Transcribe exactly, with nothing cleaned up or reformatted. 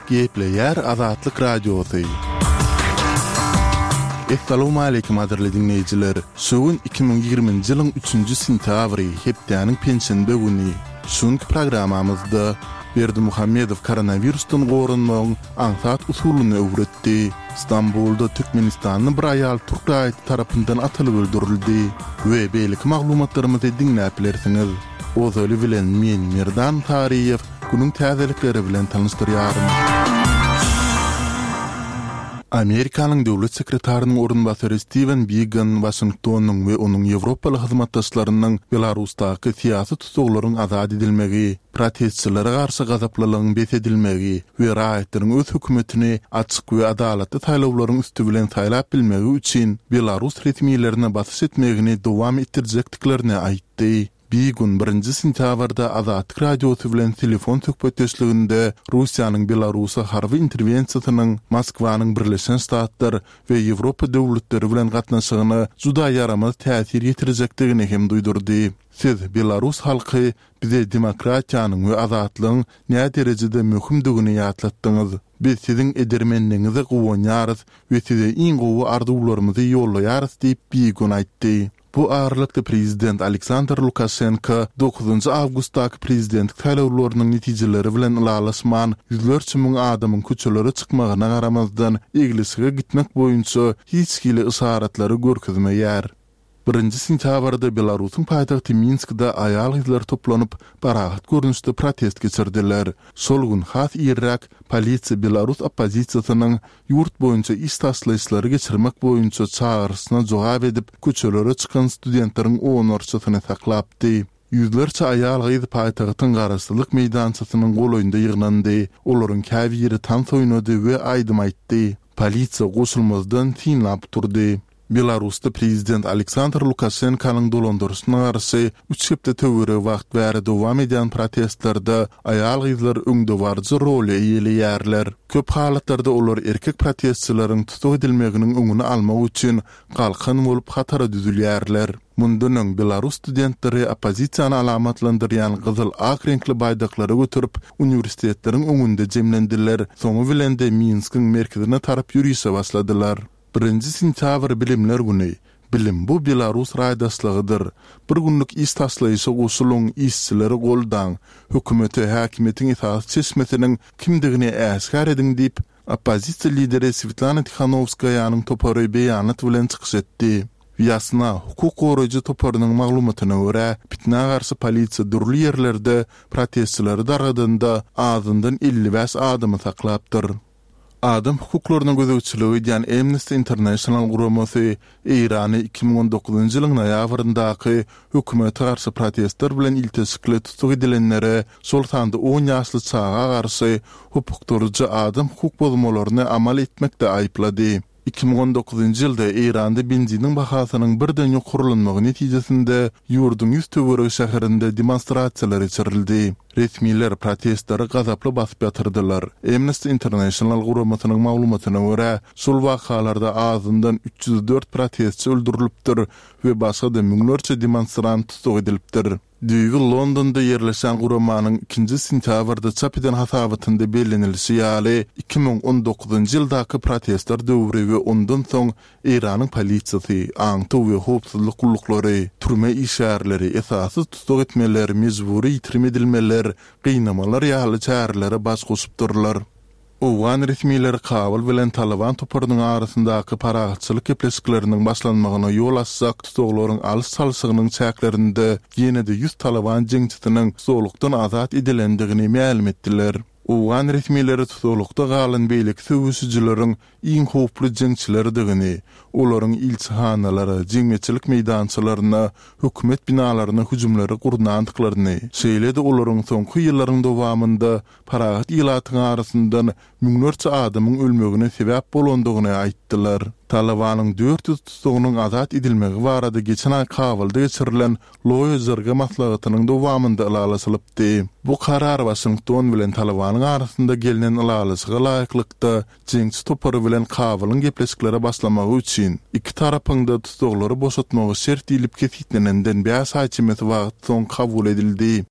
Gepleýär Azatlyk Radiosy. Essalawmaleýkim gadyrly diňleýjiler! Şu gün iki müň ýigriminji ýylyň üçünji sentýabry, hepdäniň penşenbe güni. Şu günki programmamyzda Berdimuhamedow koronawirusdan goranmagyň aňsat usulyny öwretdi. Stambulda türkmenistanly bir aýal türk raýaty tarapyndan atylyp öldürildi we beýleki maglumatlarymyzy diňläp bilersiňiz. Ozaly bilen men Merdan Saryýew günüň täzelikleri bilen tanyşdyrýaryn. Amerikanyň döwlet sekretarynyň orunbasary Stiwen Bigan Waşingtonyň we onuň ýewropaly hyzmatdaşlarynyň Belarusdaky syýasy tussaglaryň azat edilmegi, protestçilere garşy gazaplylygyň bes edilmegi we raýatlaryň öz hökümetini açyk we adalatly saýlawlaryň üsti bilen saýlap bilmegi üçin belarus resmilerine basyş etmegini dowam etdirjekdiklerini aýtdy. Bigun birinji sentýabrda Azatlyk Radiosy bilen telefon söhbetdeşliginde Russiýanyň Belarusa harby interwensiýasynyň Moskwanyň Birleşen Ştatlar we Ýewropa döwletleri bilen gatnaşygyna juda ýaramaz täsir ýetirjekdigini hem duýdurdy. Siz, belarus halky, bize demokratiýanyň we azatlygyň näderejede möhümdigini ýatlatdyňyz. Biz siziň edermenligiňize guwanýarys we size iň gowy arzuwlarymyzy ýollaýarys diýip, Bigun aýtdy. Bu aralykda prezident Aleksandr Lukaşenko dokuzynjy awgustdaky prezidentlik saýlawlarynyň netijeleri bilen ylalaşman, ýüzlerçe müň adamyň köçelere çykmagyna garamazdan, eglişige gitmek boýunça hiç hili yşaratlary görkezmeýär. Birinji sentýabrda Belarusyň paýtagty Minskde aýal-gyzlar toplanyp, parahat görnüşde protest geçirdiler. Şol gün has irräk polisiýa belarus oppozisiýasynyň ýurt boýunça iş taşlaýyşlary geçirmek boýunça çagyryşyna jogap edip, köçelere çykan studentleriň onlarçasyny saklapdy. Ýüzlerçe aýal-gyz paýtagtyň Garaşsyzlyk meýdançasynyň golaýynda ýygnandy. Olaryň käbiri tans oýnady we aýdym aýtdy. Polisiýa goşulmazdan synlap durdy. Belarusda prezident Aleksandr Lukaşenkanyň dolandyryşyna garşy üç hepde töweregi wagt bäri dowam edýän protestlerde aýal-gyzlar öňdebaryjy roly eýeleýärler. Köp halatlarda olar erkek protestçileriň tussag edilmeginiň öňüni almak üçin galkan bolup hatara düzülýärler. Mundan öň belarus studentleri oppozisiýany alamatlandyrýan gyzyl-ak reňkli baýdaklary göterip, uniwersitetleriň öňünde jemlendiler, soňy bilen-de Minskiň merkezine tarap ýörişe başladylar. Birinji sentýabr Bilimler güni. Bilim bu belarus raýdaşlygydyr. Bir günlük iş taşlaýşa goşulyň, işçileri goldaň, hökümete häkimiýetiň esasy çeşmesiniň kimdigini äşgär ediň diýip, oppozisiýa lideri Swetlana Tihanowskaýanyň topary beýanat bilen çykyş etdi. Wýasna hukuk goraýjy toparynyň maglumatyna görä, pitnä garşy polisiýa dürli ýerlerde protestçileri dargadanda azyndan elli bäş adamy saklapdyr. Adam hukuklaryna gözegçilik edýän Amnesty International guramasy Eýrany iki müň on dokuzynjy ýylyň noýabryndaky hökümete garşy protestler bilen ilteşikli tussag edilenlere, şol sanda on ýaşly çaga garşy hopukdyryjy adam hukuk bozmalaryny amal etmekde aýyplady. Iki müň on dokuzynjy ýylda Eýranda benziniň bahasynyň birden ýokarlanmagy netijesinde ýurduň ýüz töweregi şäherinde demonstrasiýalar geçirildi. Resmiler protestleri gazaply basyp ýatyrdylar. Amnesty International guramasynyň maglumatyna görä, şol wakalarda azyndan üç ýüz dört protestçi öldürilipdir we başga-da müňlerçe demonstrant tussag edilipdir. Düýbi Londonda ýerleşen guramanyň ikinji sentýabrda çap eden hasabatynda bellenilişi ýaly, iki müň on dokuzynjy ýyldaky protestler döwri we ondan soň Eýranyň polisiýasy, aňtaw we howpsuzlyk gulluklary, türme işgärleri, esassyz tussag etmeler, mejbury ýitirim edilmeler, gynamalar ýaly çärelere baş goşupdyrlar. Owgan resmileri Kabul bilen Talyban toparynyň arasyndaky parahatçylyk gepleşikleriniň başlanmagyna ýol açjak tussaglaryň alyş-çalşygynyň çäklerinde ýene-de ýüz Talyban jeňçisiniň tussaglykdan azat edilendigini mälim etdiler. Owgan resmileri tussaglykda galan beýleki söweşijileriň iň howply jeňçilerdigini, olaryň ilçihanalara, jemgyýetçilik meýdançalaryna, hökümet binalaryna hüjümleri gurnandyklaryny, şeýle-de olaryň soňky ýyllaryň dowamynda parahat ilatyň arasyndan müňlerçe adamyň ölmegine sebäp bolandygyny aýtdylar. Talybanyň dört ýüz tussagynyň azat edilmegi barada geçen aý Kabulda geçirilen Loýa Jirga maslahatynyň dowamynda ylalaşylypdy. Bu karar Waşington bilen Talybanyň arasynda gelnen ylalaşyga laýyklykda, jeňçi topary bilen Kabulyň gepleşiklere başlamagy üçin iki tarapyň-da tussaglary boşatmagy şert diýlip kesgitlenenden bäş aý çemesi wagt soň kabul edildi.